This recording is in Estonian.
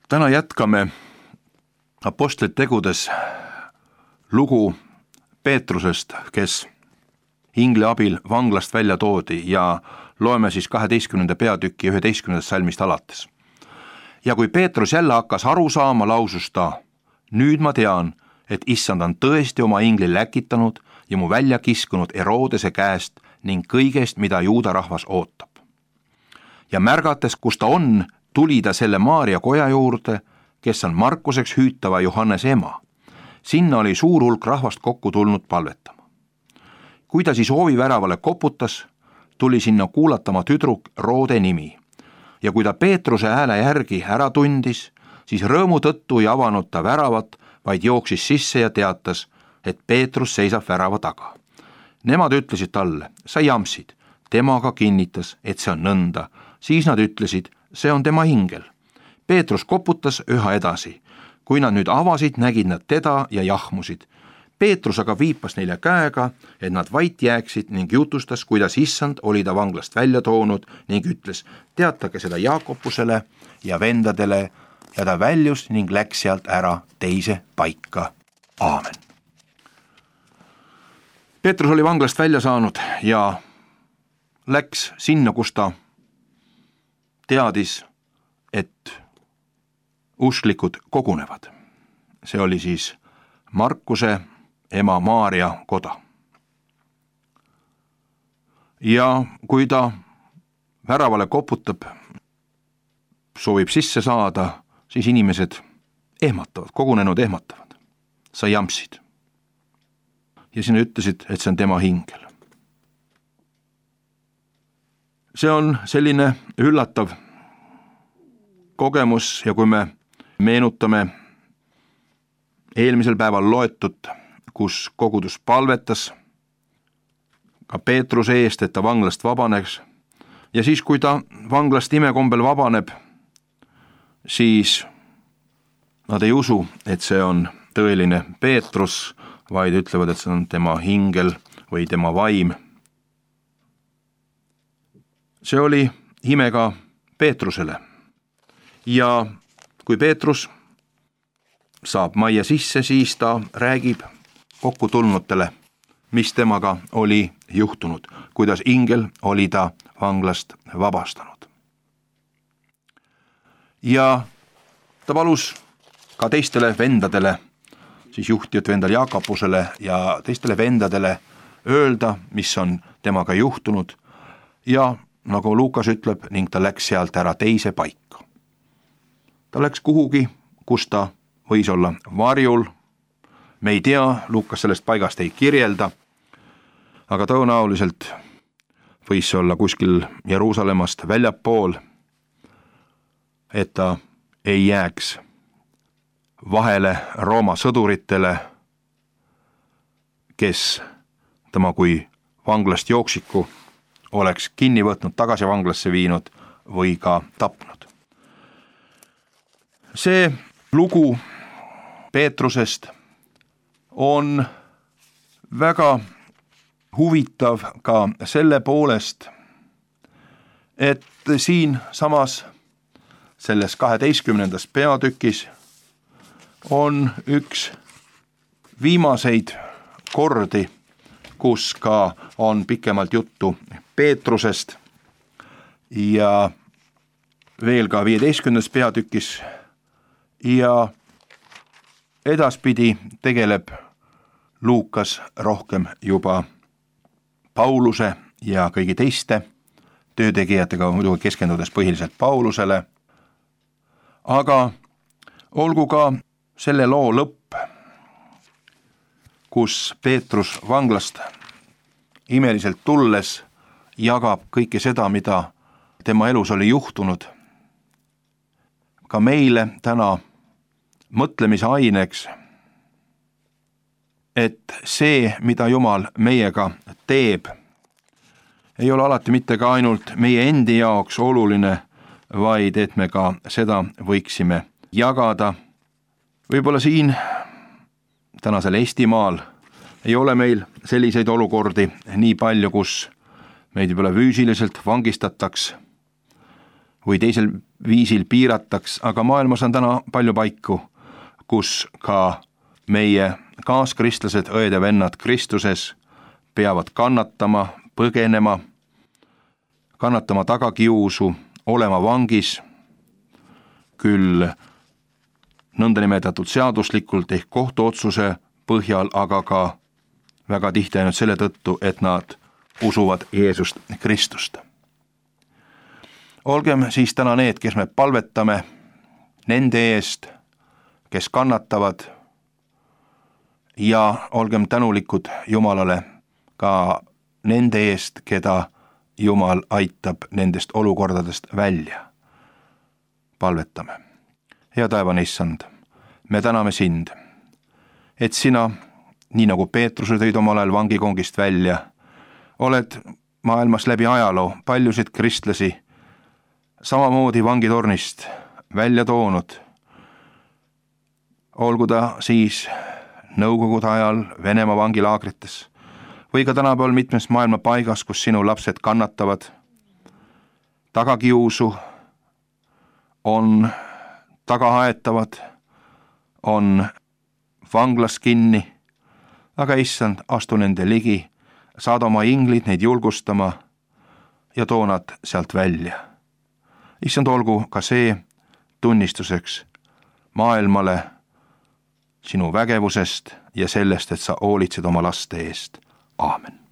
Täna jätkame Apostlite tegudes lugu Peetrusest, kes ingli abil vanglast välja toodi ja loeme siis 12. peatüki 11. salmist alates. Ja kui Peetrus jälle hakkas aru saama, lausus ta: nüüd ma tean, et issand on tõesti oma ingli läkitanud ja mu välja kiskunud Herodese käest ning kõigest, mida juuda rahvas ootab. Ja märgates, kus ta on, tuli ta selle Maaria koja juurde, kes on Markuseks hüütava Johannese ema. Sinna oli suur hulk rahvast kokku tulnud palvetama. Kui ta siis ooviväravale koputas, tuli sinna kuulatama tüdruk Roode nimi. Ja kui ta Peetruse hääle järgi ära tundis, siis rõõmu tõttu ei avanud ta väravat, vaid jooksis sisse ja teatas, et Peetrus seisab värava taga. Nemad ütlesid talle: sa jamsid. Temaga kinnitas, et see on nõnda. Siis nad ütlesid: see on tema ingel. Peetrus koputas üha edasi. Kui nad nüüd avasid, nägid nad teda ja jahmusid. Peetrus aga viipas neile käega, et nad vait jääksid, ning jutustas, kuidas issand oli ta vanglast välja toonud, ning ütles: teatage seda Jaakobusele ja vendadele. Ja ta väljus ning läks sealt ära teise paika. Aamen. Peetrus oli vanglast välja saanud ja läks sinna, kus ta teadis, et usklikud kogunevad. See oli siis Markuse ema Maaria koda. Ja kui ta väravale koputab, soovib sisse saada, siis inimesed ehmatavad, kogunenud ehmatavad. sa jamsid. Ja sina ütlesid, et see on tema hingel. See on selline üllatav kogemus ja kui me meenutame eelmisel päeval loetut, kus kogudus palvetas ka Peetruse eest, et ta vanglast vabaneks, ja siis, kui ta vanglast imekombel vabaneb, siis nad ei usu, et see on tõeline Peetrus, vaid ütlevad, et see on tema hingel või tema vaim. See oli ime ka Peetrusele. Ja kui Peetrus saab majja sisse, siis ta räägib kokkutulnutele, mis temaga oli juhtunud, kuidas ingel oli ta vanglast vabastanud. Ja ta palus ka teistele vendadele, siis juhtivat vendal Jaakobusele ja teistele vendadele öelda, mis on temaga juhtunud, ja nagu Luukas ütleb, ning ta läks sealt ära teise paika. Ta läks kuhugi, kus ta võis olla varjul, me ei tea, Luukas sellest paigast ei kirjelda, aga tõenäoliselt võis olla kuskil Jeruusalemmast väljapool, et ta ei jääks vahele Rooma sõduritele, kes tema kui vanglast jooksiku oleks kinni võtnud, tagasi vanglasse viinud või ka tapnud. See lugu Peetrusest on väga huvitav ka selle poolest, et siin samas selles 12. peatükis on üks viimaseid kordi, kus ka on pikemalt juttu Peetrusest, ja veel ka 15. peatükis, ja edaspidi tegeleb Luukas rohkem juba Pauluse ja kõigi teiste töötegijatega, muidugi keskendudes põhiliselt Paulusele, aga olgu ka selle loo lõpp, kus Peetrus vanglast imeliselt tulles jagab kõike seda, mida tema elus oli juhtunud, ka meile täna mõtlemise aineks, et see, mida Jumal meiega teeb, ei ole alati mitte ka ainult meie endi jaoks oluline, vaid et me ka seda võiksime jagada. Võib-olla siin tänasel Eestimaal ei ole meil selliseid olukordi nii palju, kus meid võib-olla füüsiliselt vangistataks või teisel viisil piirataks, aga maailmas on täna palju paiku, kus ka meie kaaskristlased, õed ja vennad Kristuses peavad kannatama, põgenema, kannatama tagakiusu, olema vangis, küll nõndanimetatud seaduslikult ehk kohtuotsuse põhjal, aga ka väga tihti ainult selle tõttu, et nad usuvad Jeesust Kristust. Olgem siis täna need, kes me palvetame nende eest, kes kannatavad, ja olgem tänulikud Jumalale ka nende eest, keda Jumal aitab nendest olukordadest välja. Palvetame. Hea taevane Issand, me täname sind, et sina, nii nagu Peetruse tõid omal ajal vangikongist välja, oled maailmas läbi ajaloo paljusid kristlasi samamoodi vangitornist välja toonud. Olgu ta siis Nõukogude ajal Venemaa vangilaagrites või ka tänapäeval mitmes maailma paigas, kus sinu lapsed kannatavad tagakiusu, on tagahaetavad, on vanglas kinni, aga Issand, astu nende ligi, saada oma inglid neid julgustama ja too nad sealt välja. Issand, olgu ka see tunnistuseks maailmale sinu vägevusest ja sellest, et sa hoolitsed oma laste eest. Aamen.